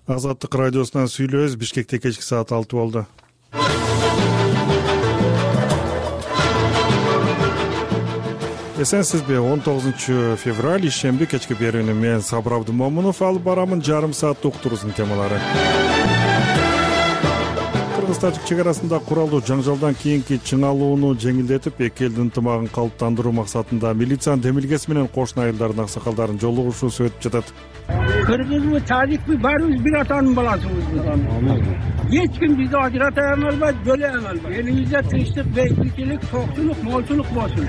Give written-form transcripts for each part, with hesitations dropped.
Азаттык радиосунан сүйлөбүз. Бишкекте кечки саат 6 болду. Эсенсизби? 19 февраль ишемби кечки берүүнү мен Сабыр Абдымомунов алып барамын. Жарым сааттык уктуруубуздун темалары. Кыргыз-Тажик чек арасында куралдуу жаңжалдан кийинки чыңалууну жеңилдетип, эки элдин ынтымагын калыптандыруу максатында милициянын демилгеси менен кошуна айылдардын аксакалдарын жолугушуусу өтүп жатат. Кыргызбы, тажикпи, баарыбыз бир атанын баласыбыз. Эч ким бизди ажырата албайт, бөлө албайт. Элибизде тынчтык, бейбитчилик, токтулук, молчулук болсун.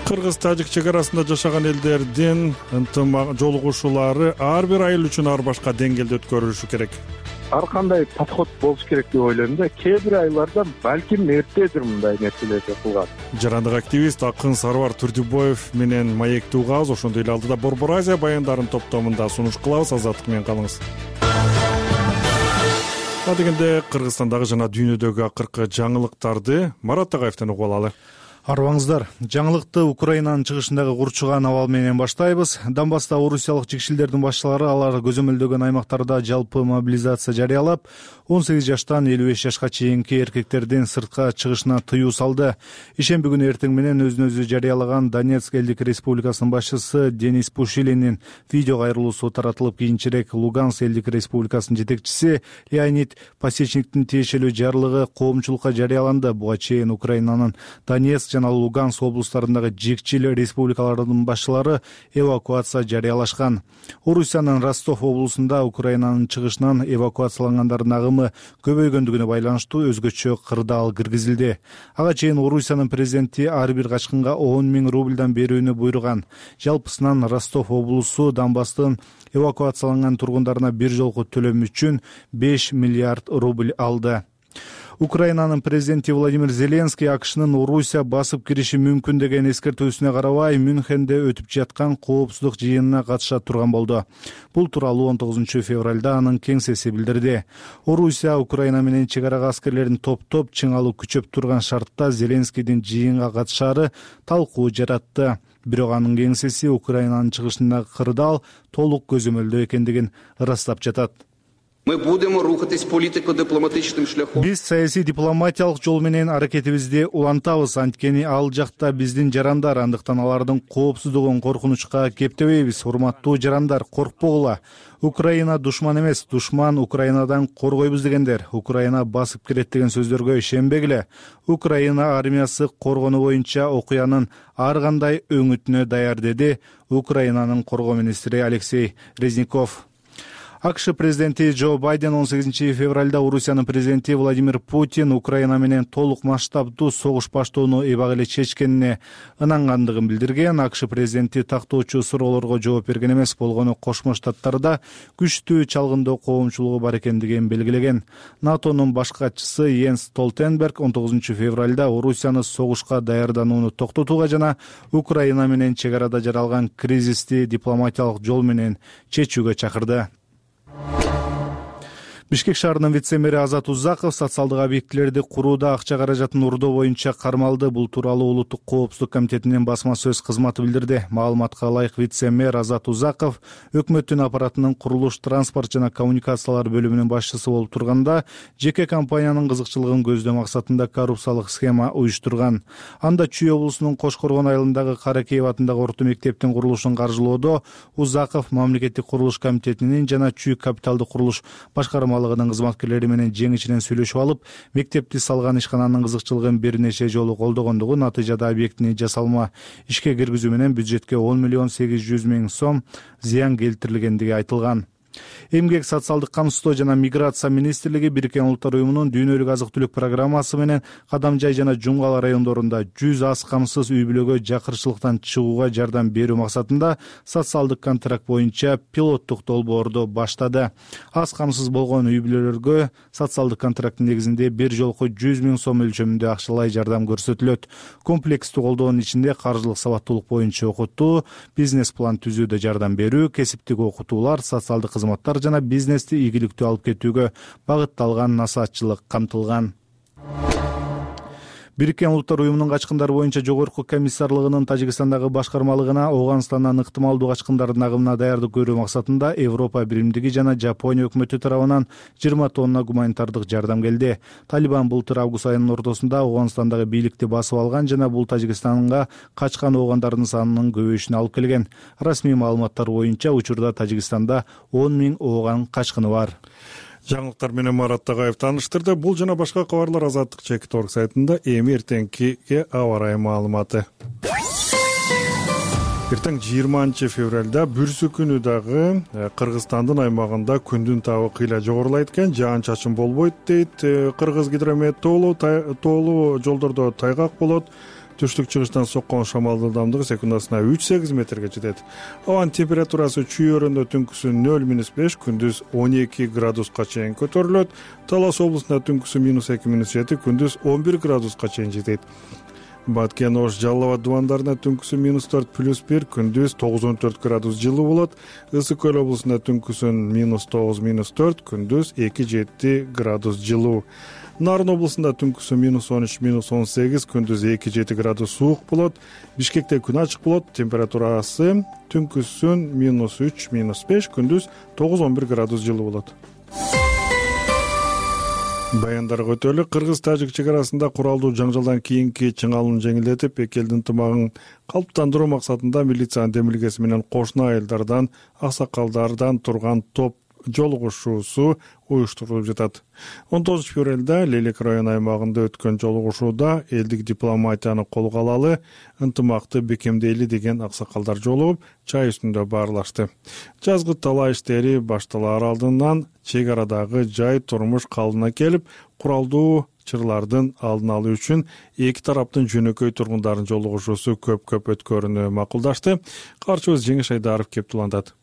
Кыргыз-Тажик чек арасында жашаган элдердин жолугушуулары ар бир айыл үчүн ар башка деңгээлде өткөрүлүшү керек. Ар кандай подход болуш керек деп ойлойм да. Кээ бир айларда балким эртедир мындай нерселерди кылган. Жарандык активист акын Сарвар Турдубоев менен маектүү угабыз. Ошондой эле алдыда Борбор Азия баяндарын топтомунда сунуш кылабыз. Азаттык менен калыңыз. Дегенде Кыргызстандагы жана дүйнөдөгү акыркы жаңылыктарды Марат Тагаевден угуп алалы. Арбаңыздар, жаңылыкты Украинанын чыгышындагы курчуган абал менен баштайбыз. Донбасста орусиялык жекшилдердин башчылары алар көзөмөлдөгөн аймактарда жалпы мобилизация жарыялап, 18 жаштан 55 жашка чейинки эркектердин сыртка чыгышына тыюу салды. Ишемби күнү эртең менен өзүн өзү жарыялаган Донецк элдик республикасынын башчысы Денис Пушилинин видео кайрылуусу таратылып, кийинчерээк Луганск элдик республикасынын жетекчиси Леонид Пасечниктин тиешелүү жарлыгы коомчулукка жарыяланды. Буга чейин Украинанын Донецк жана Луганск облустарындагы жекчил республикалардын башчылары эвакуация жарыялашкан. Орусиянын Ростов облусунда Украинанын чыгышынан эвакуациялангандардын агымы көбөйгөндүгүнө байланыштуу өзгөчө кырдаал киргизилди. Ага чейин Орусиянын президенти ар бир качкынга 10 000 рубльдан берүүнү буйруган. Жалпысынан Ростов облусу Донбасстын эвакуацияланган тургундарына бир жолку төлөм үчүн 5 миллиард рубль алды. Украинанын президенти Владимир Зеленский АКШнын Орусия басып кириши мүмкүн деген эскертүүсүнө карабай Мюнхенде өтүп жаткан коопсуздук жыйынына катыша турган болду. Бул тууралуу 19 февралда анын кеңсеси билдирди. Орусия Украина менен чек арага аскерлерин топтоп чыңалуу күчөп турган шартта Зеленскийдин жыйынга катышаары талкуу жаратты. Бирок анын кеңсеси Украинанын чыгышындагы кырдаал толук көзөмөлдөө экендигин ырастап жатат. Биз саясий дипломатиялык жол менен аракетибизди улантабыз. Анткени ал жакта биздин жарандар, андыктан алардын коопсуздугун коркунучка кептебейбиз. Урматтуу жарандар, коркпогула. Украина душман эмес, душман Украинадан коргойбуз дегендер. Украина басып кирет деген сөздөргө ишенбегиле. Украина армиясы коргонуу боюнча окуянын ар кандай өңүтүнө даяр, деди Украинанын коргоо министри Алексей Резников. АКШ президенти Джо Байден 18 февралда Орусиянын президенти Владимир Путин Украина менен толук масштабдуу согуш баштоону эбак эле чечкенине ынангандыгын билдирген. АКШ президенти тактоочу суроолорго жооп берген эмес, болгону Кошмо Штаттарда күчтүү чалгындоо коомчулугу бар экендигин белгилеген. НАТОнун баш катчысы Йенс Столтенберг 19 февралда Орусияны согушка даярданууну токтотууга жана Украина менен чек арада жаралган кризисти дипломатиялык жол менен чечүүгө чакырды. Бишкек шаарынын вице-мэри Азат Узаков социалдык объектилерди курууда акча каражатын урдоо боюнча кармалды. Бул тууралуу Улуттук коопсуздук комитетинин басма сөз кызматы билдирди. Маалыматка ылайык вице-мэр Азат Узаков өкмөттүн аппаратынын курулуш, транспорт жана коммуникациялар бөлүмүнүн башчысы болуп турганда жеке компаниянын кызыкчылыгын көздөө максатында коррупциялык схема уюштурган. Анда Чүй облусунун Кош-Коргон айылындагы Каракеев атындагы орто мектептин курулушун каржылоодо Узаков мамлекеттик курулуш комитетинин жана Чүй капиталдык курулуш башкармалыгынын кызматкерлери менен жең ичинен сүйлөшүп алып, мектепти салган ишкананын кызыкчылыгын бир нече жолу колдогондугу, натыйжада объектини жасалма ишке киргизүү менен бюджетке 10 800 000 сом зыян келтирилгендиги айтылган. Эмгек, социалдык камсыздоо жана миграция министрлиги Бириккен Улуттар уюмунун дүйнөлүк азык-түлүк программасы менен Кадамжай жана Жумгал райондорунда 100 аз камсыз үй бүлөгө жакырчылыктан чыгууга жардам берүү максатында социалдык контракт боюнча пилоттук долбоорду баштады. Аз камсыз болгон үй бүлөлөргө социалдык контракттын негизинде бир жолку 100 000 сом өлчөмүндө акчалай жардам көрсөтүлөт. Комплекстүү колдоонун ичинде каржылык сабаттуулук боюнча окутуу, бизнес план түзүүдө жардам берүү, кесиптик окутуулар, социалдык кызматтар жана бизнести ийгиликтүү алып кетүүгө багытталган насаатчылык камтылган. Бириккен Улуттар уюмунун качкындар боюнча жогорку комиссарлыгынын Тажикстандагы башкармалыгына Ооганстандан ыктымалдуу качкындардын агымына даярдык көрүү максатында Европа биримдиги жана Жапония өкмөтү тарабынан 20 тонна гуманитардык жардам келди. Талибан былтыр август айынын ортосунда Ооганстандагы бийликти басып алган жана бул Тажикстанга качкан оогандардын санынын көбөйүшүнө алып келген. Расмий маалыматтар боюнча учурда Тажикстанда 10 000 ооган качкыны бар. Жаңылыктар менен Марат Тагаев тааныштырды. Бул жана башка кабарлар Азаттык Чекит.org сайтында. Эми эртеңкиге аба ырайы маалыматы. Эртең 20 февралда бүрсү күнү дагы Кыргызстандын аймагында күндүн табы кыйла жогорулайт экен, жаан-чачын болбойт дейт Кыргыз гидромет тоолуу жолдордо тайгак болот. Түштүк-чыгыштан соккон шамал ылдамдыгы секундасына 3-8 метрге жетет. Абанын температурасы чүй-өрөндө түнкүсү 0-5, күндүз 12 градуска чейин көтөрүлөт. Талас облусунда түнкүсү -2-7, күндүз 11 градуска чейин жетет. Баткен, Ош, Жалал Абад дубандарында түнкүсү -4+1, күндүз 9-14 градус жылуу болот. Ысык Көл облусунда түнкүсү -9-4, күндүз 2-7 градус жылуу. Нарын облусунда түнкүсү -13-18, күндүз 2-7 градус суук болот. Бишкекте күн ачык болот. Температурасы түнкүсүн -3-5, күндүз 9-11 градус жылуу болот. Баяндарга өтөлү. Кыргыз-Тажик чек арасында куралдуу жаңжалдан кийинки чыңалууну жеңилдетип, эки элдин ынтымагын калыптандыруу максатында милициянын демилгеси менен кошуна айылдардан, аксакалдардан турган топ жолугушуусу уюштурулуп жатат. 19 февралда Лейлек району аймагында өткөн жолугушууда элдик дипломатияны колго алалы, ынтымакты бекемдейли деген аксакалдар жолугуп, чай үстүндө баарлашты. Жазгы талаа иштери башталаар алдынан чек арадагы жай турмуш калыбына келип, куралдуу чырлардын алдын алуу үчүн эки тараптын жөнөкөй тургундардын жолугушуусу көп өткөрүүнү макулдашты. Каарчыбыз Жеңиш Айдаров кеп тулантат.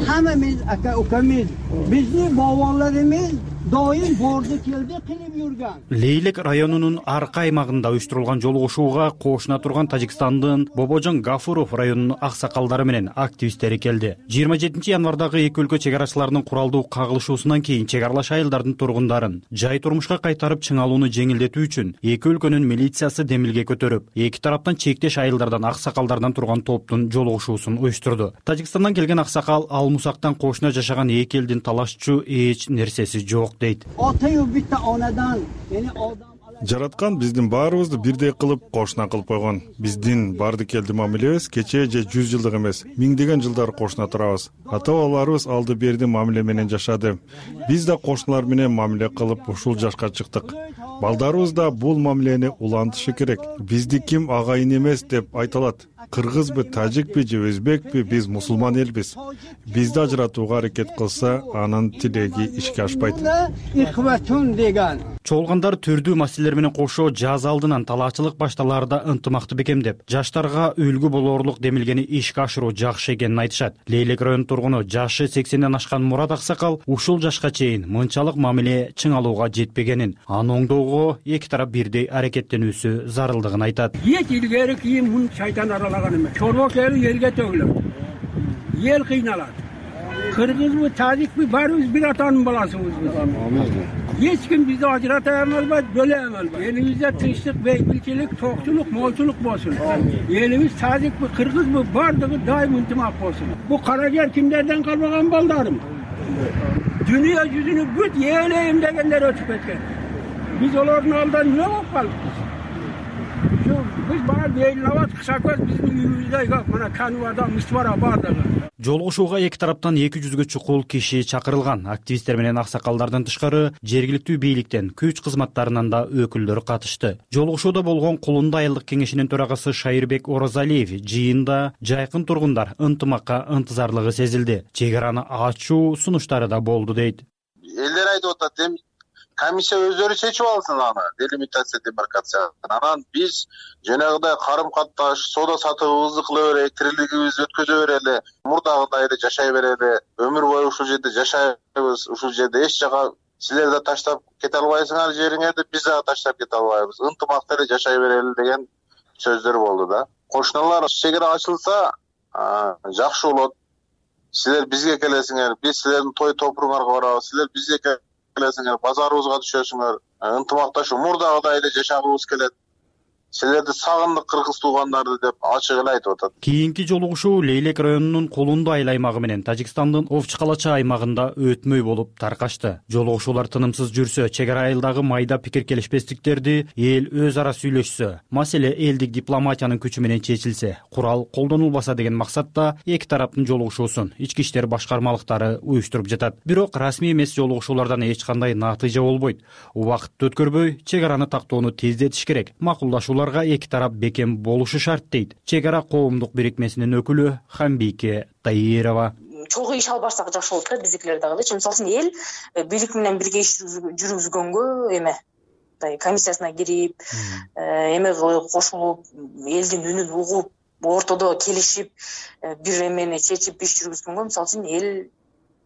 Hammamiz aka-ukamiz, bizni bog'bonlarimiz doim bordi keldi qilib yurgan. Лейлек районунун аркы аймагында уюштурулган жолугушууга кошуна турган Тажикстандын Бобожон Гафуров районунун аксакалдары менен активисттери келди. 27 январдагы эки өлкө чек арачыларынын куралдуу кагылышуусунан кийин чек аралаш айылдардын тургундарын жай турмушка кайтарып чыңалууну жеңилдетүү үчүн эки өлкөнүн милициясы демилге көтөрүп, эки тараптан чектеш айылдардан аксакалдардан турган топтун жолугушуусун уюштурду. Тажикстандан келген аксакал ал мусактан кошуна жашаган эки элдин талашчу эч нерсеси жок дейт. Ota-yu bitta onadan, ya'ni odam Жараткан биздин баарыбызды бирдей кылып кошуна кылып койгон. Биздин барды келди мамилебиз кече же 100 жылдык эмес, миңдеген жылдар кошуна турабыз. Ата-бабаларыбыз алды берди мамиле менен жашады. Биз да кошуналар менен мамиле кылып ушул жашка чыктык. Балдарыбыз да бул мамилени улантышы керек. Бизди ким агайын эмес деп айталат. Кыргызбы, тажикпи же өзбекпи, биз мусулман элбиз. Бизди ажыратууга аракет кылса, анын тилеги ишке ашпайт. ikhvatun degan. Чогулгандар түрдүү маселелер менен кошо жаз алдынан талаачылык башталаарда ынтымакты бекемдеп, жаштарга үлгү болоорлук демилгени ишке ашыруу жакшы экенин айтышат. Лейлек районунун тургуну жашы 80ден ашкан Мурат Аксакал ушул жашка чейин мынчалык мамиле чыңалууга жетпегенин, аны оңдоого эки тарап бирдей аракеттенүүсү зарылдыгын айтат. Hiç ilgari kiyim bunu şeytan aralagan emas. Çorba keli yerge tögülür. Yer kıynalar. Kırgız mı, Tacik mi, barımız bir atanın balasımız biz. Hiç kim bizi acıratayamaz, böleyemez. Elimizde tınçlık, beybilçilik, tokçuluk, molçuluk olsun. Elimiz Tacik mi, Kırgız mı, bardığı daim intimak olsun. Bu Karager kimlerden kalmagan baldarım. Dünya yüzünü büt yeğleyim degenler ötüp etken. Biz onların aldan ne yapalım? Biz bana değil lavat kısa göz bizim yüzümüzde yok. Bana kanuvada mısvara bardağı. Жолугушууга эки тараптан 200ге чукул киши чакырылган. Активисттер менен аксакалдардан тышкары жергиликтүү бийликтен, күч кызматтарынан да өкүлдөр катышты. Жолугушууда болгон Кулунда айылдык кеңешинин төрагасы Шайырбек Оразалиев жыйында жайкын тургундар ынтымакка ынтызарлыгы сезилди. Чек араны ачуу сунуштары да болду дейт. Элдер айтып атат, комиссия өздөрү чечип алсын аны, делимитация, демаркация. Анан биз жанагыдай карым катташ, соода сатыбыбызды кыла берели, тирилигибизди өткөзө берели, мурдагыдай эле жашай берели, өмүр бою ушул жерде жашайбыз, ушул жерде эч жака силер да таштап кете албайсыңар жериңерди, биз дагы таштап кете албайбыз. Ынтымакта эле жашай берели деген сөздөр болду да. Кошуналар чек ара ачылса, жакшы болот. Силер бизге келесиңер, биз силердин той топуруңарга барабыз, силер бизге келесиңер, базарыбызга түшөсүңөр, ынтымакташуу мурдагыдай эле жашагыбыз келет. Силерди сагындык кыргыз туугандарды деп ачык эле айтып атат. Кийинки жолугушуу Лейлек районунун Колунду айыл аймагы менен Тажикстандын Овчу Калача аймагында өтмөй болуп таркашты. Жолугушуулар тынымсыз жүрсө, чек ара айылдагы майда пикир келишпестиктерди эл өз ара сүйлөшсө, маселе элдик дипломатиянын күчү менен чечилсе, курал колдонулбаса деген максатта эки тараптын жолугушуусун ички иштер башкармалыктары уюштуруп жатат. Бирок расмий эмес жолугушуулардан эч кандай натыйжа болбойт. Убакытты өткөрбөй, чек араны тактоону тездетиш керек. Макулдашууларга эки тарап бекем болушу шарт дейт чек ара коомдук бирикмесинин өкүлү Хамбике Таирова. Чогуу иш алып барсак жакшы болот да, биздикилер дагычы. Мисалы үчүн эл бийлик менен бирге иш жүргүзгөнгө комиссиясына кирип, кошулуп, элдин үнүн угуп, ортодо келишип, бир эмени чечип иш жүргүзгөнгө мисалы үчүн эл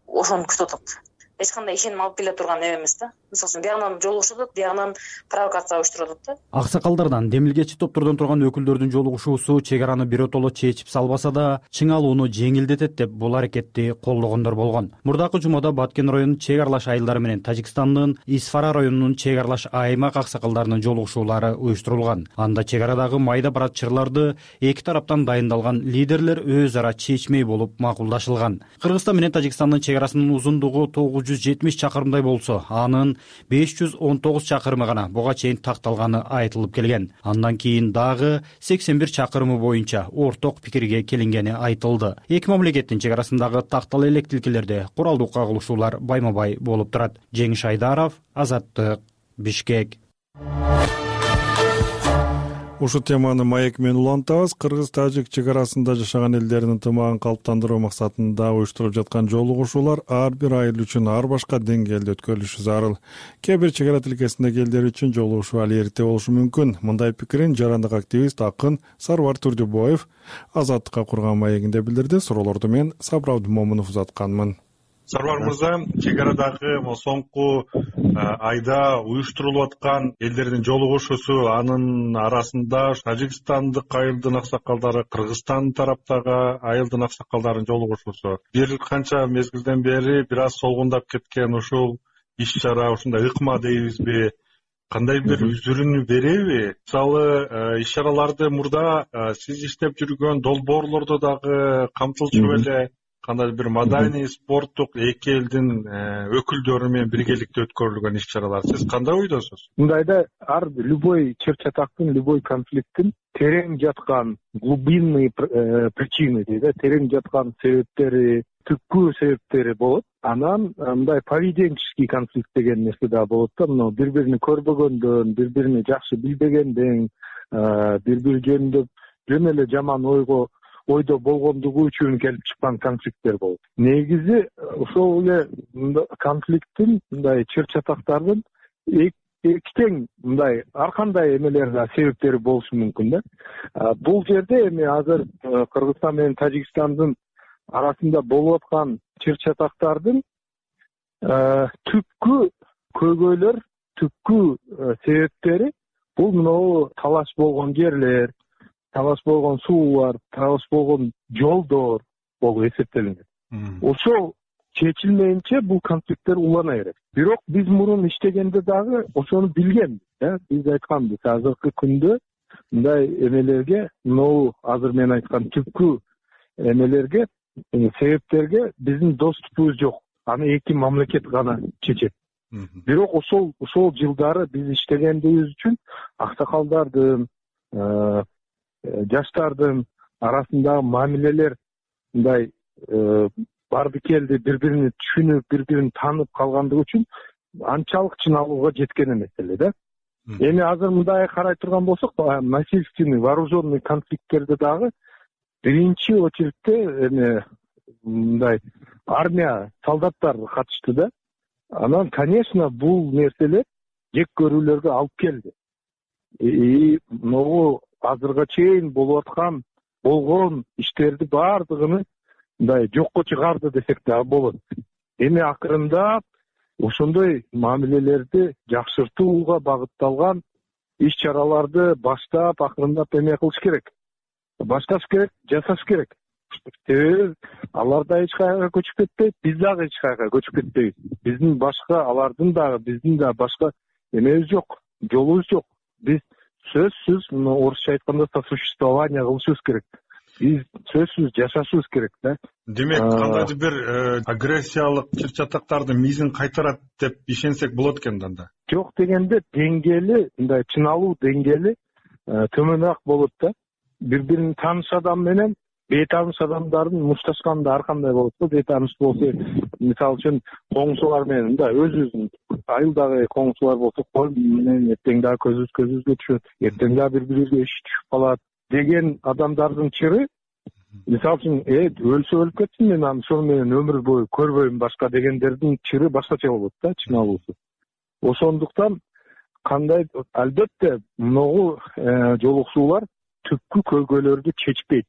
ошону күтүп атат. Эч кандай ишеним алып келе турган эмес да. Мисалы үчүн биягынан жолугушуп атат, биягынан провокация уюштуруп атат да. Аксакалдардан, демилгечи топтордон турган өкүлдөрдүн жолугушуусу чек араны биротоло чечип салбаса да, чыңалууну жеңилдетет деп бул аракетти колдогондор болгон. Мурдакы жумада Баткен районунун чек аралаш айылдары менен Тажикстандын Исфара районунун чек аралаш аймак аксакалдарынын жолугушуулары уюштурулган. Анда чек арадагы майда барат чырларды эки тараптан дайындалган лидерлер өз ара чечмей болуп макулдашылган. Кыргызстан менен Тажикстандын чек арасынын узундугу 970 чакырымдай болсо, анын 519 чакырымы гана буга чейин такталганы айтылып келген. Андан кийин дагы 81 чакырымы боюнча орток пикирге келингени айтылды. Эки мамлекеттин чек арасындагы тактал элек тилкелерде куралдуу кагылышуулар байма-бай болуп турат. Жеңиш Айдаров, Азаттык, Бишкек. Ушул теманы маек менен улантабыз. Кыргыз-тажик чек арасында жашаган элдердин ынтымагын калыптандыруу максатында уюштуруп жаткан жолугушуулар ар бир айыл үчүн ар башка деңгээлде өткөрүлүшү зарыл. Кээ бир чек ара тилкесиндеги элдер үчүн жолугушуу али эрте болушу мүмкүн. Мындай пикирин жарандык активист акын Сарвар Турдубоев Азаттыкка курган маегинде билдирди. Суроолорду мен Сабыр Абдымомунов узатканмын. Сарвар мырза, чек арадагы соңку айда уюштурулуп аткан элдердин жолугушуусу, анын арасында Тажикстандык айылдын аксакалдары, Кыргызстан тараптагы айылдын аксакалдарынын жолугушуусу бир канча мезгилден бери бир аз солгундап кеткен ушул иш чара, ушундай ыкма дейбизби, кандай бир үзүрүн береби? Мисалы, иш чараларды мурда сиз иштеп жүргөн долбоорлордо дагы камтылчу беле? Кандай бир маданий, спорттук эки элдин өкүлдөрү менен биргеликте өткөрүлгөн иш чаралар. Сиз кандай ойдосуз? Мындайда любой чыр-чатактын, любой конфликттин терең жаткан глубинный причины дейт, терең жаткан себептери, түпкү себептери болот. Анан мындай поведенческий конфликт деген нерсе да болот да. Мына бири-бирин көрбөгөндөн, бири-биrini жакшы билбегенден, бири-бири жөнүндө жөн эле жаман ойдо болгондугу үчүн келип чыккан конфликттер болот. Негизи ошол эле конфликттин, мындай чыр-чатактардын эки тең мындай ар кандай эмелер да себептери болушу мүмкүн да. Бул жерде эми азыр Кыргызстан менен Тажикстандын арасында болуп аткан чыр-чатактардын түпкү көйгөйлөр, түпкү себептери бул мынау талаш болгон жерлер, талаш болгон суулар, талаш болгон жолдор болуп эсептелинет. Ошол чечилмейинче бул конфликттер улана берет. Бирок биз мурун иштегенде дагы ошону билгенбиз. Биз айтканбыз, азыркы күндө мындай эмелерге, мынау азыр мен айткан түпкү эмелерге, себептерге биздин доступубуз жок. Аны эки мамлекет гана чечет. Бирок ошол жылдары биз иштегендибиз үчүн аксакалдардын, жаштардын арасындагы мамилелер мындай барды келди, бири-бирин түшүнүп, бири-бирин таанып калгандыгы үчүн анчалык чыналууга жеткен эмес эле да. Эми азыр мындай карай турган болсок, насильственный, вооруженный конфликттерде дагы биринчи очередте эми мындай армия, солдаттар катышты да. Анан, конечно, бул нерселер жек көрүүлөргө алып келди. Могу азырга чейин болуп аткан, болгон иштерди баардыгын мындай жокко чыгарды десек да болот. Эми акырындап ошондой мамилелерди жакшыртууга багытталган иш чараларды баштап, акырындап эме кылыш керек. Башташ керек, жасаш керек. себеби алар да эч кайерге көчүп кетпейт, биз дагы эч кайерге көчүп кетпейбиз. Биздин башка алардын дагы биздин да башка эмебиз жок, жолубуз жок. Биз сөзсүз орусча айтканда сосуществование кылышыбыз керек. Биз сөзсүз жашашыбыз керек да. Демек кандайдыр бир агрессиялык чыр-чатактардын мизин кайтарат деп ишенсек болот экен да. Жок дегенде деңгээли, мындай чыналуу деңгээли төмөнүрөөк болот да. Бири-бирин тааныш адам менен бейтааныш адамдардын мушташканда ар кандай болот да. Бейтааныш болсо, мисалы үчүн коңшулар менен мындай өзүбүздүн айылдагы коңшулар болсо, кол менен эртең дагы көзүбүзгө түшөт, эртең дагы бири-бирибизге иш түшүп калат деген адамдардын чыры, мисалы үчүн өлсө өлүп кетсин, мен ошол менен өмүр бою көрбөйм башка дегендердин чыры башкача болот да, чыналуусу. Ошондуктан кандай албетте могу жолугушуулар түпкү көйгөйлөрдү чечпейт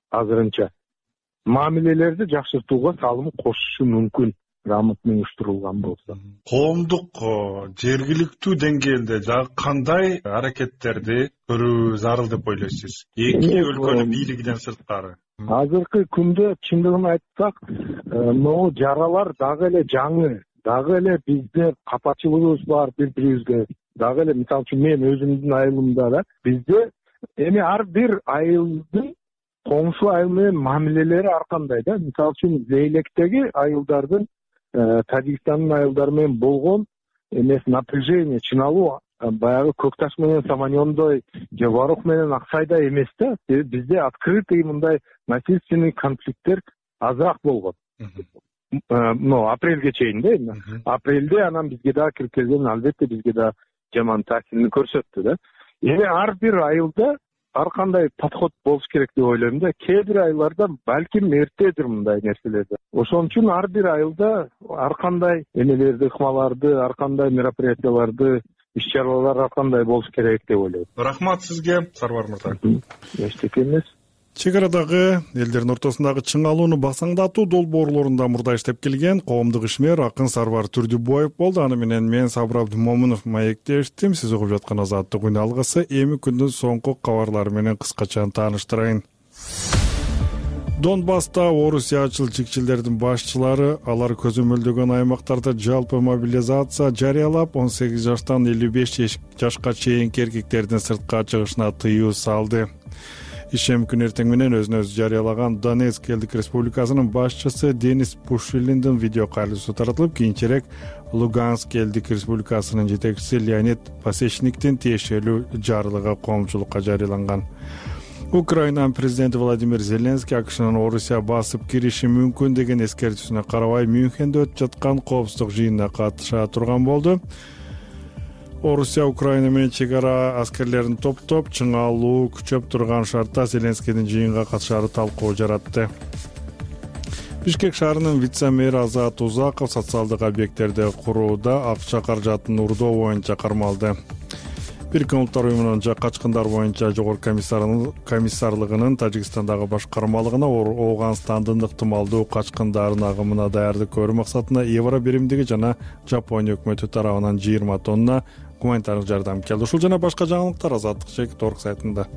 азырынча. Мамилелерди жакшыртууга салым кошушу мүмкүн, грамотно уюштурулган болсо. Коомдук жергиликтүү деңгээлде жагы кандай аракеттерди көрүү зарыл деп ойлойсуз? Эки өлкөнүн бийлигинен сырткары. Азыркы күндө чындыгын айтсак, могу жаралар дагы эле жаңы, дагы эле бизде капачылыгыбыз бар бири-бирибизге. Дагы эле мисалы үчүн мен өзүмдүн айылымда да бизде эми ар бир айылдын коңшу айыл менен мамилелери ар кандай да. Мисалы үчүн Зейлектеги айылдардын Тажикстандын айылдары менен болгон эмес напряжение, чыналуу баягы Көкташ менен Саманёндой же Варух менен Аксайдай эмес да. Бизде открытый мындай насильственный конфликттер азыраак болгон. Апрелге чейин да. Апрелде анан бизге дагы кирип келген, албетте бизге да жаман таасирин көрсөттү да. Эми ар бир айылда ар кандай подход болуш керек деп ойлойм да. Кээ бир айылдарда балким эртедир мындай нерселерди. Ошон үчүн ар бир айылда ар кандай эмелерди, ыкмаларды, ар кандай мероприятияларды, иш-чаралар ар кандай болуш керек деп ойлойм. Рахмат сизге, Сарвар мырза. Эчтеке эмес. Чек арадагы элдердин ортосундагы чыңалууну басаңдатуу долбоорлорунда мурда иштеп келген коомдук ишмер акын Сарвар Түрдүбаев болду. Аны менен мен Сабыр Абдымомунов маектештим. Сиз угуп жаткан Азаттык үн алгысы эми күндүн соңку кабарлары менен кыскача тааныштырайын. Донбасста орусиячыл чекчилдердин башчылары алар көзөмөлдөгөн аймактарда жалпы мобилизация жарыялап, 18 жаштан 55 жашка чейинки эркектердин сыртка чыгышына тыюу салды. Ишем күн эртең менен өзүн өзү жарыялаган Донецк элдик республикасынын башчысы Денис Пушилиндин видео кайрылуусу таратылып, кийинчерээк Луганск элдик республикасынын жетекчиси Леонид Пасечниктин тиешелүү жарлыгы коомчулукка жарыяланган. Украинанын президенти Владимир Зеленский АКШнын Орусия басып кириши мүмкүн деген эскертүүсүнө карабай Мюнхенде өтүп жаткан коопсуздук жыйынына катыша турган болду. Орусия Украина менен чек ара аскерлерин топтоп, чыңалуу күчөп турган шартта Зеленскийдин жыйынга катышаары талкуу жаратты. Бишкек шаарынын вице-мери Азат Узаков социалдык объекттерди курууда акча каражатын урдоо боюнча кармалды. Бириккен Улуттар уюмунун качкындар боюнча жогорку комиссарлыгынын Тажикстандагы башкармалыгына Ооганстандын ыктымалдуу качкындардын агымына даярдык көрүү максатында евро биримдиги жана Жапония өкмөтү тарабынан 20 тонна гуманитардык жардам келди. Ушул жана башка жаңылыктар Азаттык.org сайтында.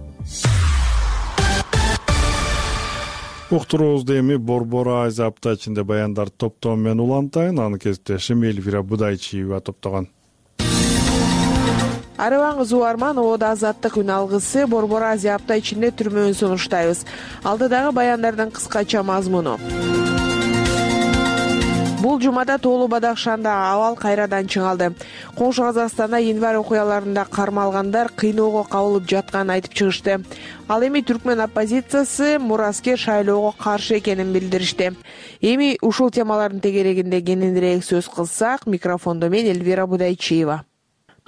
Уктуруубузду эми Борбор Азия апта ичинде баяндар топтоо менен улантайын. Аны кесиптешим Эльвира Будайчиева топтогон. Арыбаңыз уарман, Оода Азаттык үн алгысы Борбор Азия апта ичинде түрмөөн сунуштайбыз. Алдыдагы баяндардын кыскача мазмуну. Бул жумада Тоолу Бадахшанда абал кайрадан чыңалды. Коңшу Казакстанда январь окуяларында кармалгандар кыйноого кабылып жатканын айтып чыгышты. Ал эми түркмөн оппозициясы мураскер шайлоого каршы экенин билдиришти. Эми ушул темалардын тегерегинде кененирээк сөз кылсак, микрофондо мен Эльвира Будайчиева.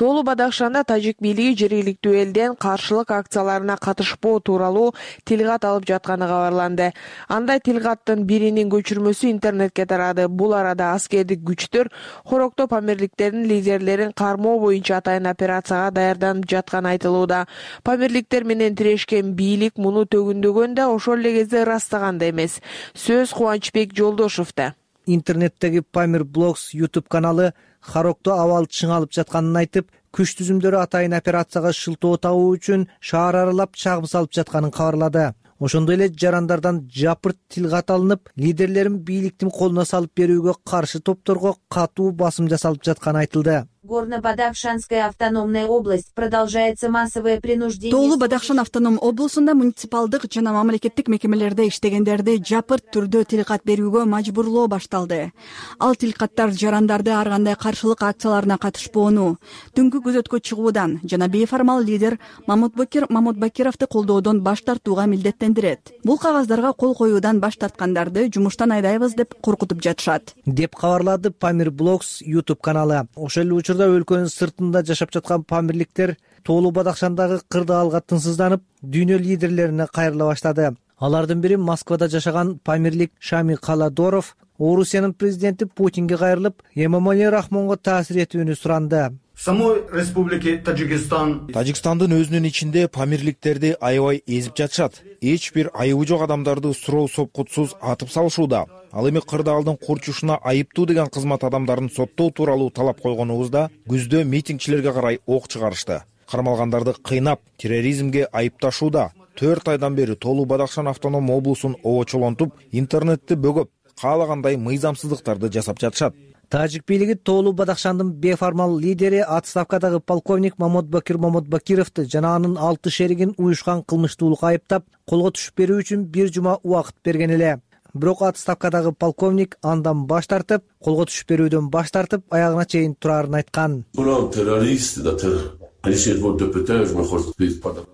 Тоолу Бадахшанда тажик бийлиги жергиликтүү элден каршылык акцияларына катышпоо тууралуу тилгат алып жатканы кабарланды. Андай тилгаттын биринин көчүрмөсү интернетке тарады. Бул арада аскердик күчтөр Хорокто Памирликтердин лидерлерин кармоо боюнча атайын операцияга даярданып жатканы айтылууда. Памирликтер менен тирешкен бийлик муну төгүндөгөн да ошол эле кезде ырастаган да эмес. Сөз Кубанычбек Жолдошевда. Интернеттеги Памир Блогс YouTube каналы Хорокто абал чыңалып жатканын айтып, күч түзүмдөрү атайын операцияга шылтоо табуу үчүн шаар аралап чагым салып жатканын кабарлады. ошондой эле жарандардан жапырт тил кат алынып, лидерлерин бийликтин колуна салып берүүгө каршы топторго катуу басым жасалып жатканы айтылды. Горно-Бадахшанская автономная область продолжается массовое принуждение. Тоолуу Бадахшан автоном облусунда муниципалдык жана мамлекеттик мекемелерде иштегендерди жапырт түрдө тилкат берүүгө мажбурлоо башталды. Ал тилкаттар жарандарды ар кандай каршылык акцияларына катышпоону, түнкү күзөткө чыгуудан жана бейформал лидер Мамутбакир Мамутбакировду колдоодон баш тартууга милдеттендирет. Бул кагаздарга кол коюудан баш тарткандарды жумуштан айдайбыз деп коркутуп жатышат, деп кабарлады Памир Блогс YouTube каналы. Ошол эле учурда өлкөнүн сыртында жашап жаткан памирликтер Тоолуу Бадахшандагы кырдаалга тынчсызданып, дүйнө лидерлерине кайрыла баштады. Алардын бири Москвада жашаган памирлик Шами Каладоров Орусиянын президенти Путинге кайрылып, Эмомали Рахмонго таасир этүүнү суранды. Самой республики Тажикстандын өзүнүн ичинде памирликтерди аябай эзип жатышат. Эч бир айыбы жок адамдарды суроо сопкутсуз атып салышууда. Ал эми кырдаалдын курчушуна айыптуу деген кызмат адамдарын соттоо тууралуу талап койгонубузда күздө митингчилерге карай ок чыгарышты. Кармалгандарды кыйнап, терроризмге айыпташууда. 4 айдан бери Тоолуу Бадахшан автоном облусун обочолонтуп, интернетти бөгөп, каалагандай мыйзамсыздыктарды жасап жатышат. Тажик бийлиги Тоолуу Бадахшандын беформал лидери отставкадагы полковник Мамутбакир Мамутбакировду жана анын 6 шеригин уюшкан кылмыштуулукка айыптап, колго түшүп берүү үчүн 1 жума убакыт берген эле. Бирок отставкадагы полковник андан баш тартып, колго түшүп берүүдөн баш тартып, аягына чейин турарын айткан.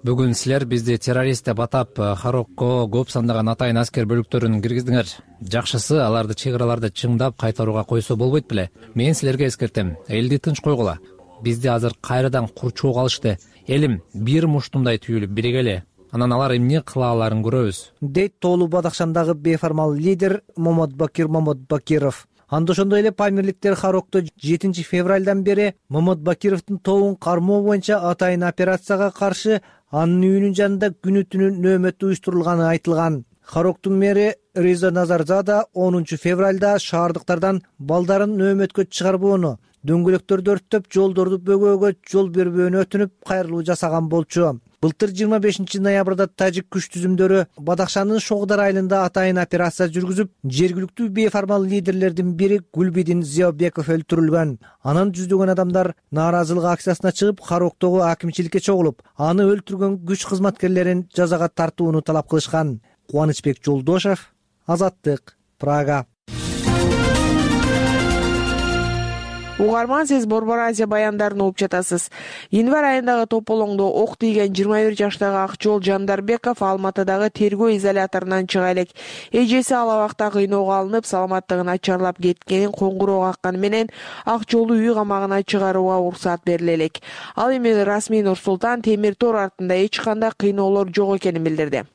Бүгүн силер бизди террорист деп атап, Харокко көп сандаган атайын аскер бөлүктөрүн киргиздиңер. Жакшысы аларды чек араларды чыңдап кайтарууга койсо болбойт беле. Мен силерге эскертем, элди тынч койгула. Бизди азыр кайрадан курчоого алышты. Элим бир муштумдай түйүлүп биригели. Анан алар эмне кыла аларын көрөбүз, дейт Тоолуу Бадахшандагы беформал лидер Мамутбакир Мамутбакиров. Анда ошондой эле памирликтер Харокто 7 февралдан бери Мамутбакировдун тобун кармоо боюнча атайын операцияга каршы анын үйүнүн жанында күнү-түнү нөөмөт уюштурулганы айтылган. Хароктун мэри Реза Назарзада 10 февралда шаардыктардан балдарын нөөмөткө чыгарбоону, дөңгөлөктөрдү өрттөп, жолдорду бөгөөгө жол бербөөнү өтүнүп, кайрылуу жасаган болчу. Былтыр 25 ноябрда тажик күч түзүмдөрү Бадахшандын Шогдар айылында атайын операция жүргүзүп, жергиликтүү беформал лидерлердин бири Гүлбидин Зиябеков өлтүрүлгөн. Анан жүздөгөн адамдар нааразылык акциясына чыгып, Хароктогу акимчиликке чогулуп, аны өлтүргөн күч кызматкерлерин жазага тартууну талап кылышкан. Кубанычбек Жолдошев, Азаттык, Прага. Угарман, сиз Борбор Азия баяндарын угуп жатасыз. Январь айындагы тополоңдо ок тийген 21 жаштагы Акчол Жандарбеков Алматыдагы тергөө изоляторунан чыга элек. Эжеси ал абакта кыйноого алынып, саламаттыгы начарлап кеткенин коңгуроо какканы менен Акчолду үй камагына чыгарууга уруксат бериле элек. Ал эми расмий Нур-Султан темир тор артында эч кандай кыйноолор жок экенин билдирди.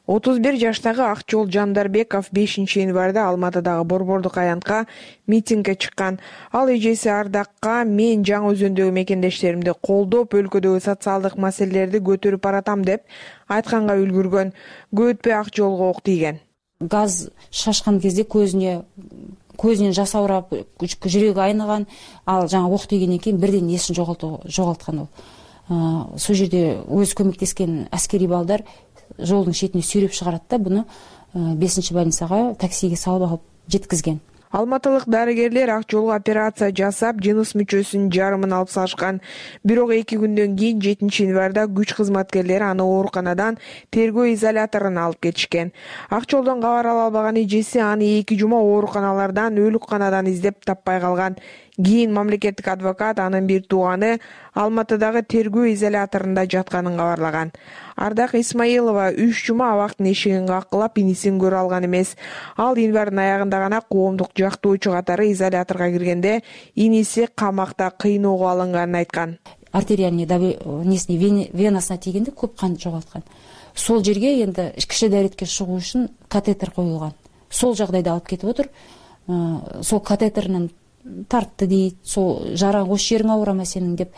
31 жаштагы Акчол Жандарбеков 5 январда Алматыдагы Борбордук аянтка митингге чыккан. Ал эжеси Ардакка мен Жаңы Өзөндөгү мекендештеримди колдоп, өлкөдөгү социалдык маселелерди көтөрүп баратам деп айтканга үлгүргөн. Көп өтпөй Акчолго ок тийген. Газ шашкан кезде көзүнөн жас аурап, жүрөгү айныган. Ал жаңы ок тийгенден кийин бирден эсин жогалткан ол. Сол жерде өз көмөктескен аскери балдар жолдун шетине сүйрөп чыгарат да, буну 5 больницага таксиге салып алып жеткизген. Алматылык дарыгерлер Акчолго операция жасап, жыныс мүчөсүнүн жарымын алып салышкан. Бирок 2 күндөн кийин 7 январда күч кызматкерлери аны ооруканадан тергөө изоляторуна алып кетишкен. Акчолдон кабар ала албаган эжеси аны 2 жума ооруканалардан, өлүкканадан издеп таппай калган. Кийин мамлекеттик адвокат анын бир тууганы Алматыдагы тергөө изоляторунда жатканын кабарлаган. Ардак Исмаилова 3 жума абактын эшигин каккылап, инисин көрө алган эмес. Ал январдын аягында гана коомдук жактоочу катары изоляторго киргенде иниси камакта кыйноого алынганын айткан. Артериальный венасына тийгенде көп кан жогалткан. Сол жерге энди киши дээретке чыгуу үчүн катетер коюлган. Сол жагдайда алып кетип отур. Сол катетеринен тартты дейт, сол жара ош жериң ауырама сенин деп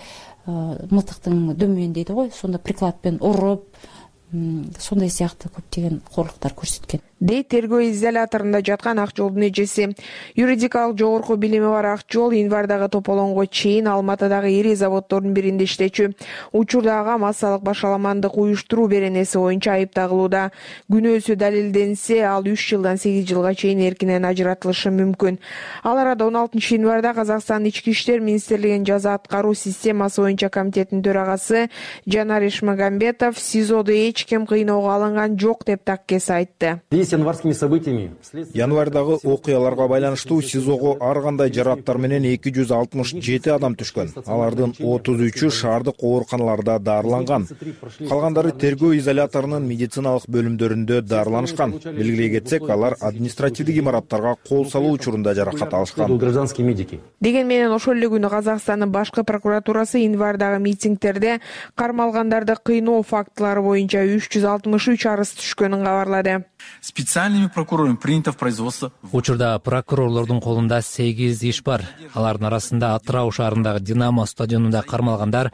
мылтыктын дөмөн дейди го, сонда прикладпен уруп, сондай сыяктуу көптөгөн коорлуктар көрсөткөн. дейт тергөө изоляторунда жаткан Акжолдун эжеси. Юридикалык жогорку билими бар Акжол январдагы тополоңго чейин Алматыдагы ири заводдордун биринде иштечү. Учурда ага массалык башаламандык уюштуруу беренеси боюнча айып тагылууда. Күнөөсү далилденсе, ал 3 жылдан 8 жылга чейин эркинен ажыратылышы мүмкүн. Ал арада 16 январда Казакстандын Ички иштер министрлигинин жаза аткаруу системасы боюнча комитетинин төрагасы Жанар Ишмагамбетов СИЗОдо эч ким кыйноого алынган жок деп таккес айтты. Январдагы окуяларга байланыштуу СИЗОго ар кандай жараттар менен 267 адам түшкөн. Алардын 33-ü шаардык ооруканаларда дарыланган. Калгандары тергөө изоляторунун медициналык бөлүмдөрүндө дарыланышкан. Белгилей кетсек, алар административдик имараттарга кол салуу учурунда жаракат алышкан. Деген менен ошол эле күнү Казакстандын башкы прокуратурасы январдагы митингдерде кармалгандарды кыйноо фактылары боюнча 363 арыз түшкөнүн кабарлады. Специальными прокурорами принято в производство. Учурда прокурорлордун колунда 8 иш бар. Алардын арасында Атырау шаарындагы Динамо стадионунда кармалгандар,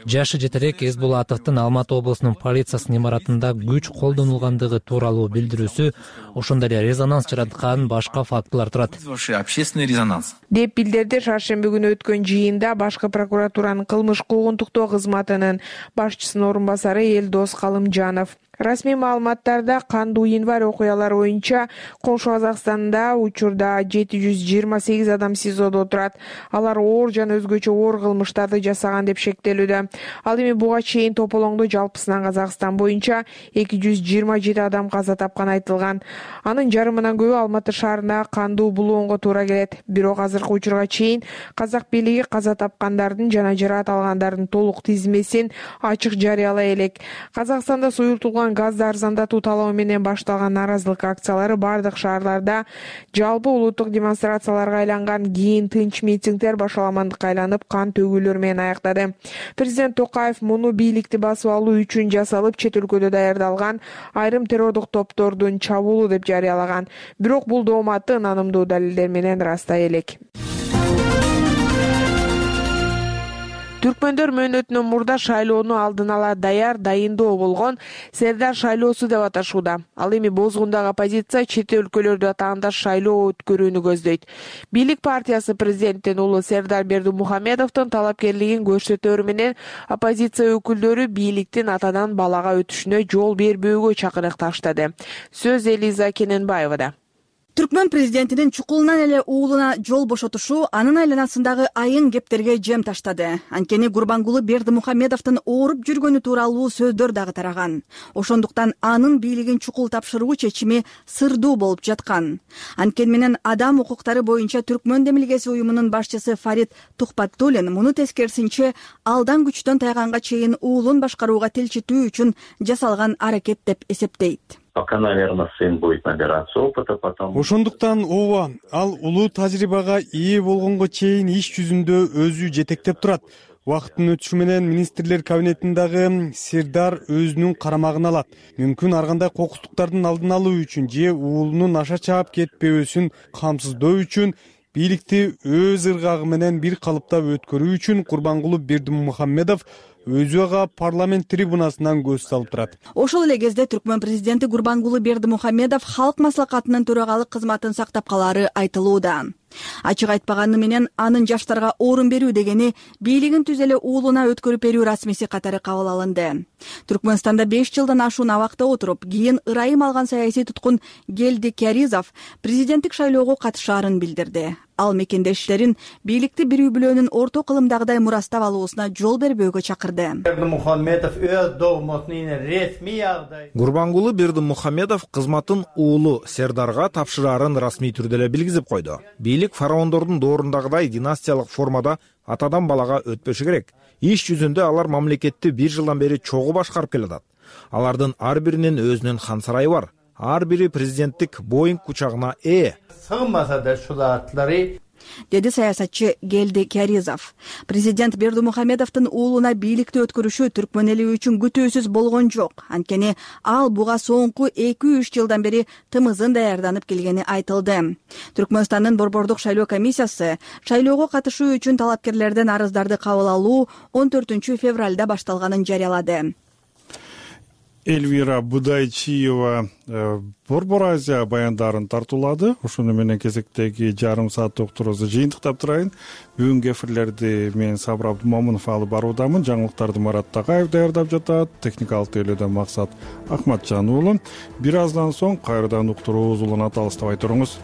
жашы жетерээк Эсбулатовдун Алматы облусунун полициясынын имаратында күч колдонулгандыгы тууралуу билдирүүсү, ошондой эле резонанс жараткан башка фактылар турат. Общественный резонанс. Деп билдирди шаршемби күнү өткөн жыйында башкы прокуратуранын кылмыш куугунтуктоо кызматынын башчысынын орун басары Элдос Калымжанов. Расмий маалыматтарда кандуу январь окуялары боюнча Коңшу Казакстанда учурда 728 адам СИЗОдо отурат. Алар оор жана өзгөчө оор кылмыштарды жасаган деп шектелүүдө. Ал эми буга чейин тополоңдо жалпысынан Казакстан боюнча 227 адам каза тапкан айтылган. Анын жарымынан көбү Алматы шаарындагы кандуу булуунга туура келет. Бирок азыркы учурга чейин казак бийлиги каза тапкандардын жана жараат алгандардын толук тизмесин ачык жарыялай элек. Казакстанда суюртулган газды арзандатуу талабы менен башталган нааразылык акциялары бардык шаарларда жалпы улуттук демонстрацияларга айланган, кийин тынч митингдер башаламандыкка айланып кан төгүүлөр менен аяктады. Президент Токаев муну бийликти басып алуу үчүн жасалып, чет өлкөдө даярдалган айрым террордук топтордун чабуулу деп жарыялаган. Бирок бул дооматты ынанымдуу далилдер менен ырастай элек. Түркмөндөр мөөнөтүнөн мурда шайлоону алдын ала дайындоо болгон Сердар шайлоосу деп аташууда. Ал эми бозгундагы оппозиция чет өлкөлөрдө атаандаш шайлоо өткөрүүнү көздөйт. Бийлик партиясы президенттин уулу Сердар Бердимухамедовдун талапкерлигин көрсөтөөрү менен оппозиция өкүлдөрү бийликтин атадан балага өтүшүнө жол бербөөгө чакырык таштады. Сөз Элиза Кененбаевада. Түркмөн президентинин чукулунан эле уулуна жол бошотушу анын айланасындагы айын кептерге жем таштады. Анткени Гурбангулы Бердимухамедовдун ооруп жүргөнү тууралуу сөздөр дагы тараган. Ошондуктан анын бийлигин чукул тапшыруу чечими сырдуу болуп жаткан. Анткени менен адам укуктары боюнча Түркмөн демилгеси уюмунун башчысы Фарид Тухпаттулин муну тескерисинче алдан күчтөн тайганга чейин уулун башкарууга тилчитүү үчүн жасалган аракет деп эсептейт. Наверное, сын будет набираться опыта, потому... Ошондуктан ооба, ал улуу тажрыйбага ээ болгонго чейин иш жүзүндө өзү жетектеп турат. Убакыттын өтүшү менен министрлер кабинетиндагы Сердар өзүнүн карамагына алат. Мүмкүн ар кандай кокустуктардын алдын алуу үчүн же уулунун аша чаап кетпөөсүн камсыздоо үчүн бийликти өз ыргагы менен бир калыпта өткөрүү үчүн Гурбангулы Бердимухамедов өзү ага парламент трибунасынан көз салып турат. Ошол эле кезде Түркмөн президенти Гурбангулы Бердимухамедов халк маслакатынын төрагалык кызматын сактап калаары айтылууда. Ачык айтпаганы менен анын жаштарга орун берүү дегени бийлигин түз эле уулуна өткөрүп берүү расмиси катары кабыл алынды. Түркмөнстанда 5 жылдан ашуун абакта отуруп, кийин ырайым алган саясий туткун Гелди Кяризов президенттик шайлоого катышаарын билдирди. Ал мекендештерин бийликти бирүү бүлөөнүн орто кылымдагыдай мурастап алуусуна жол бербөөгө чакырды. Гурбангулы Бердимухамедов кызматын уулу Сердарга тапшыраарын расмий түрдө эле билгизип койду. Бийлик фараондордун доорундагыдай династиялык формада атадан балага өтпөшү керек. Иш жүзүндө алар мамлекетти 1 жылдан бери чогуу башкарып келатат. Алардын ар биринин өзүнүн хан сарайы бар. Ар бири президенттик Боинг учагына ээ. Сыгмаса да шулатлары деди саясатчы Гелди Кяризов. Президент Бердимухамедовдун уулуна бийликти өткөрүшү Түркмөн эли үчүн күтүүсүз болгон жок. Анткени ал буга соңку 2-3 жылдан бери тымызын даярданып келгени айтылды. Түркмөнстандын борбордук шайлоо комиссиясы шайлоого катышуу үчүн талапкерлерден арыздарды кабыл алуу 14 февралда башталганын жарыялады. Эльвира Будайчиева Борбор Азия баяндарын тартуулады. Ошону менен кезектеги жарым сааттык уктуруубузду жыйынтыктап турайын. Бүгүнкү эфирлерди мен Сабыр Абдумомунов алып баруудамын. Жаңылыктарды Марат Тагаев даярдап жатат. Техникалык тейлөөдөн Максат Акматжан уулу. Бир аздан соң кайрадан уктуруубуз уланат, алыстабай туруңуз.